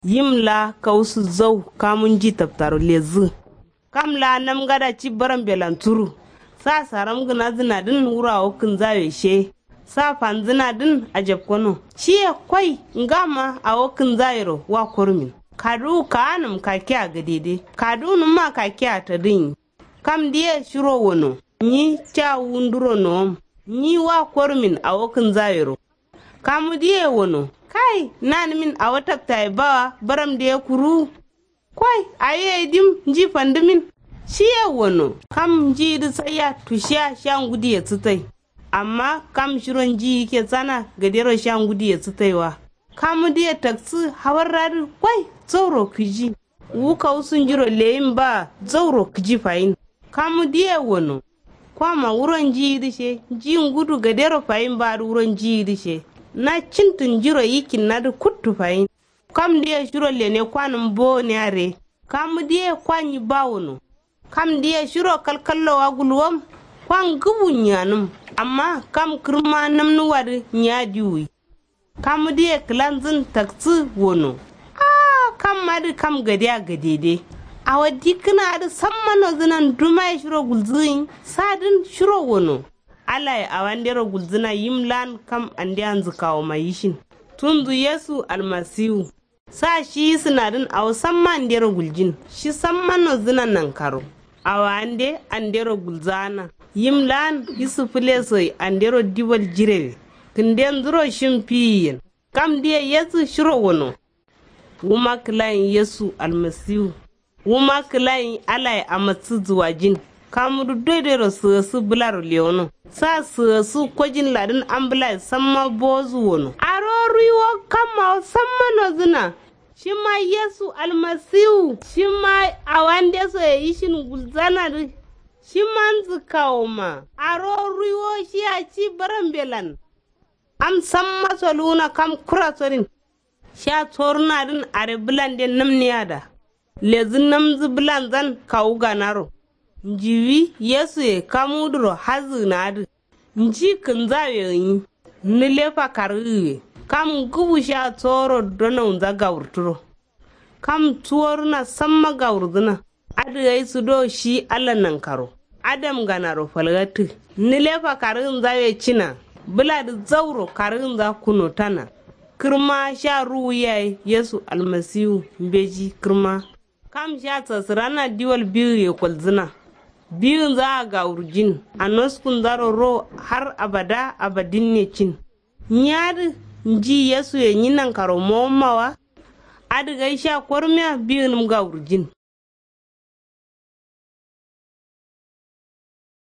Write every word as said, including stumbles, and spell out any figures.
Yim laa kausu zau kamu nji tabtaro lezǝ. Kam laa namgada ci barambelan turu. Sa saram gǝnazǝnadǝn wuro awo kǝnzawe she. Sa fanzǝnadǝn ajabkono shiye. Koi ngama awo kǝnzawero wa korumin. Kaduwu kaanǝm kakiya gadede kaduwunǝmma kakiya tadǝnyi. Kam diye shiro wono. Nyi ca wunduro nowom. Nyi wa korumin awo kǝnzawero. Kamu diye wono. Kai nanǝmin awo tabtaye bawa baram diye kuruwu. Koi awiye dim nji fandǝmin. Shiye wono. Kam njiyidǝ saiya tushiya sha ngudiye sǝtai. Amma kam shiro njiyi ke sana gadero sha ngudiye sǝtaiwa. Kamu diye taksǝ hawarradǝ koi zauro kǝji. Wu kausu njiro leyin ba zauro kǝji fayin. Kamu diye wono. Kwama wuro njiyidǝ she nji ngudu gadero fayin ba dǝ wuro njiyidǝ she. Na cintǝn njiro yikinnadǝ kuttu fayin. Kam diye shiro lene kwanǝm bowo ne are. Kamu diye kwa nyi ba wono. Kam diye shiro kalkallowa gulwom. Kwa ngǝbu nyi anǝm. Amma kam kǝrma namnuwadǝ nyi adiwuyi. Kamu diye kǝlanzǝn taksǝ wono. Ahh kam adǝ kam gadiya gadede. Awo dikkǝna adǝ samma nozǝnan dumaye shiro gulzǝgǝnyi. Sadǝn shiro wono. Alaye awandero gulzǝna yim lan kam andeya nzǝkawoma yishin. Tunzu yesu almasiwu. Sa shi yisǝnadǝn awo samma andero guljin. Shi samma nozǝna nankaro. Awo ande andero gulzaana. Yim laan yisǝ fǝlesoye andero diwal jirewe. Kǝndenzuro shin fiyiyen. Kam diye yesu shiro wono. Wuma kǝlayin yesu almasiwu. Wuma kǝlayin alaye amassǝ zuwajin. Kamudǝ doidoiro sǝgasǝ bǝlaro lewono. Sa sǝgasǝ kojin ladǝn ambǝlaye samma bowozǝ wono. Aro ruiwo kammawo samma nozǝna. Shima yesu almasiwu shima awandesoye yishin gulzanadǝ. Shima nzǝkkawoma. Aro ruiwo shiya ci barambelan. Am samma soluwuna kam kura sodin. Sha sorunadǝn are bǝlande namneyada. Lezǝ namzǝ bǝlanzan kawu ganaro. Njiwi yesuye kamudǝro hazǝgǝnadǝ. Nji kǝnzawe gǝnyi. Nǝlefa kargǝgǝye. Kam ngǝbu sha soro donaunza gawurturo. Kam tuworuna samma gawurzǝna. Adǝ gai sǝdo shi allah nankaro. Adamganaro falgattǝ. Nǝlefa kargǝnzawe cina. Bǝladǝ zauro kargǝnza kunotana. Kǝrma sha ruwu yaye yesu almasiwu mbeji kǝrma. Kam sha sasǝrana diwal bigǝye kolzǝna. Bigǝnza agawurjin. Anoskunzaro ro har abada abadinne cin. Nyi adǝ nji yesuye nyi nankaro mowomma wa. Adǝ gai sha kormiya bigǝnǝm gawurjin.